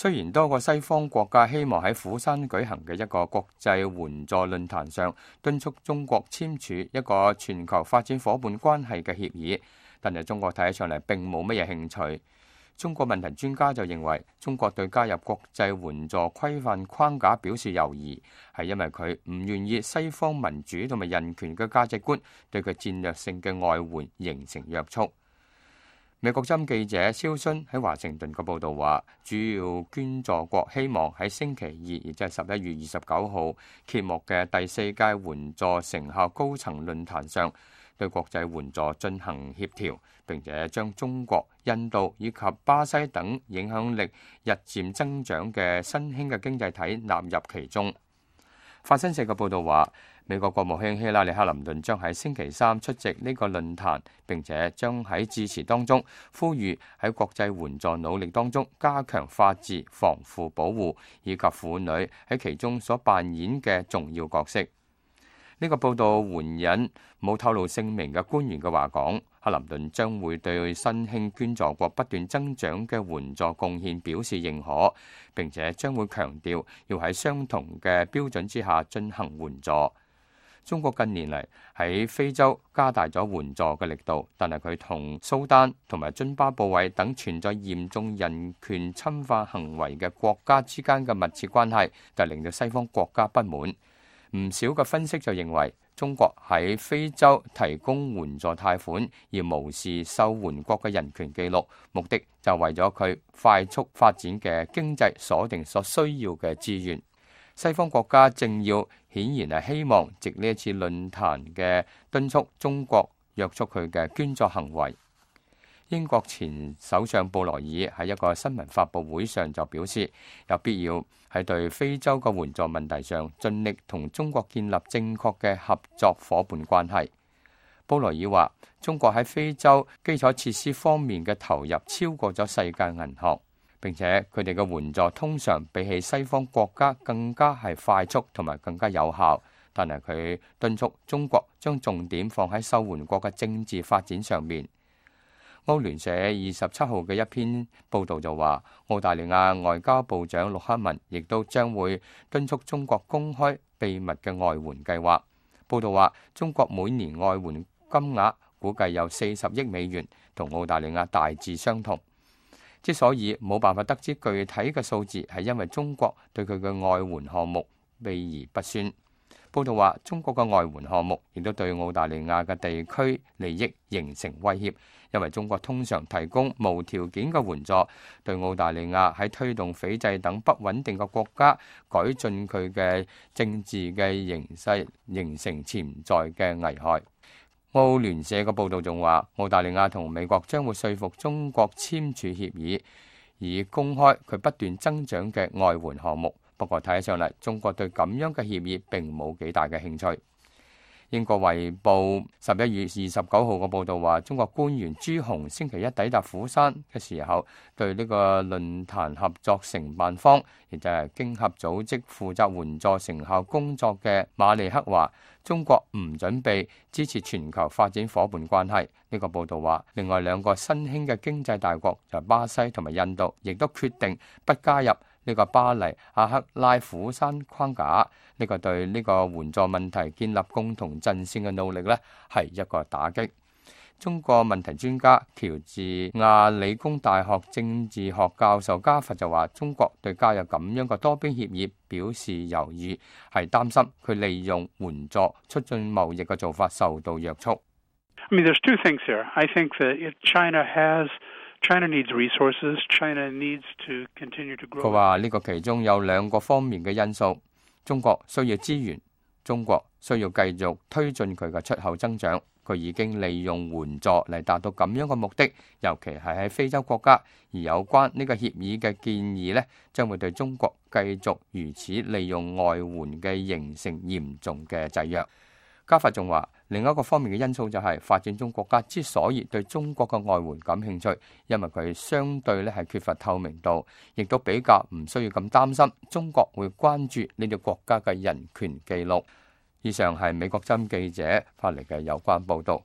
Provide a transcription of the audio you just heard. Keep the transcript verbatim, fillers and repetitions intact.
雖然多個西方國家希望喺釜山舉行嘅一個國際援助論壇上敦促中國簽署一個全球發展夥伴關係嘅協議，但係中國睇起上嚟並冇乜嘢興趣。中國問題專家就認為，中國對加入國際援助規範框架表示猶豫，係因為佢唔願意西方民主同埋人權嘅價值觀對佢戰略性嘅外援形成約束。美國針記者肖遜喺華盛頓嘅報導話，主要捐助國希望喺星期二，亦即係十一月二十九號揭幕嘅第四屆援助成效高層論壇上，對國際援助進行協調，並且將中國、印度以及巴西等影響力日漸增長嘅新興嘅經濟體納入其中。法新社嘅報導話，美國國務卿希拉里克林頓將喺星期三出席呢個論壇，並且將喺致辭當中呼籲喺國際援助努力當中加強法治、防腐保護以及婦女喺其中所扮演嘅重要角色。呢個報道援引冇透露姓名嘅官員嘅話講，克林頓將會對新興捐助國不斷增長嘅援助貢獻表示認可，並且將會強調要喺相同嘅標準之下進行援助。中國近年嚟喺非洲加大咗援助嘅力度，但係佢同蘇丹同埋津巴布韋等存在嚴重人權侵犯行為嘅國家之間嘅密切關係，就令到西方國家不滿。唔少嘅分析就認為，中國喺非洲提供援助貸款而無視受援國嘅人權記錄，目的就為咗佢快速發展嘅經濟鎖定所需要嘅資源。西方國家政要顯然係希望藉呢一次論壇嘅敦促中國約束佢嘅捐助行為。英國前首相布萊爾喺一個新聞發佈會上就表示，有必要喺對非洲嘅援助問題上盡力同中國建立正確嘅合作夥伴關係。布萊爾話，中國喺非洲基礎設施方面嘅投入超過咗世界銀行，並且佢哋嘅援助通常比起西方國家更加係快速同埋更加有效。但係佢敦促中國將重點放喺受援國嘅政治發展上面。歐聯社二十七號嘅一篇報導就話，澳大利亞外交部長陸克文亦都將會敦促中國公開秘密嘅外援計劃。報導話，中國每年外援金額估計有四十億美元，同澳大利亞大致相同。之所以冇辦法得知具體嘅數字，係因為中國對佢嘅外援項目秘而不宣。報導話，中國嘅外援項目亦都對澳大利亞嘅地區利益形成威脅，因為中國通常提供無條件嘅援助，對澳大利亞喺推動斐濟等不穩定嘅國家改進佢嘅政治嘅形勢，形成潛在嘅危害。澳聯社嘅報導仲話，澳大利亞同美國將會說服中國簽署協議，以公開佢不斷增長嘅外援項目。不過睇起上嚟，中國對咁樣嘅協議並冇幾大嘅興趣。英國衛報十一月二十九號嘅報導話，中國官員朱紅星期一抵達釜山嘅時候，對呢個論壇合作承辦方，亦就係經合組織負責援助成效工作嘅馬利克話，中國唔準備支持全球發展夥伴關係。呢個報導話，另外兩個新興嘅經濟大國就係巴西同埋印度，亦都決定不加入呢個巴黎阿克拉釜山框架。呢個對呢個援助問題建立共同陣線嘅努力呢，係一個打擊。中國問題專家喬治亞理工大學政治學教授加佛就話，中國對加入咁樣嘅多邊協議表示猶豫，係擔心佢利用援助促進貿易嘅做法受到約束。I mean, there's two things here. I think that if China has China needs resources. China needs to continue to grow. 佢話呢個其中有兩個方面嘅因素，中國需要資源，中國需要繼續推進佢嘅出口增長。佢已經利用援助嚟達到咁樣嘅目的，尤其係喺非洲國家。而有關呢個協議嘅建議呢，將會對中國繼續如此利用外援嘅形成嚴重嘅制約。加法仲話，另一個方面嘅因素就係發展中國家之所以對中國嘅外援感興趣，因為佢相對咧係缺乏透明度，亦都比較唔需要咁擔心中國會關注呢啲國家嘅人權記錄。以上係美國針記者發嚟嘅有關報導。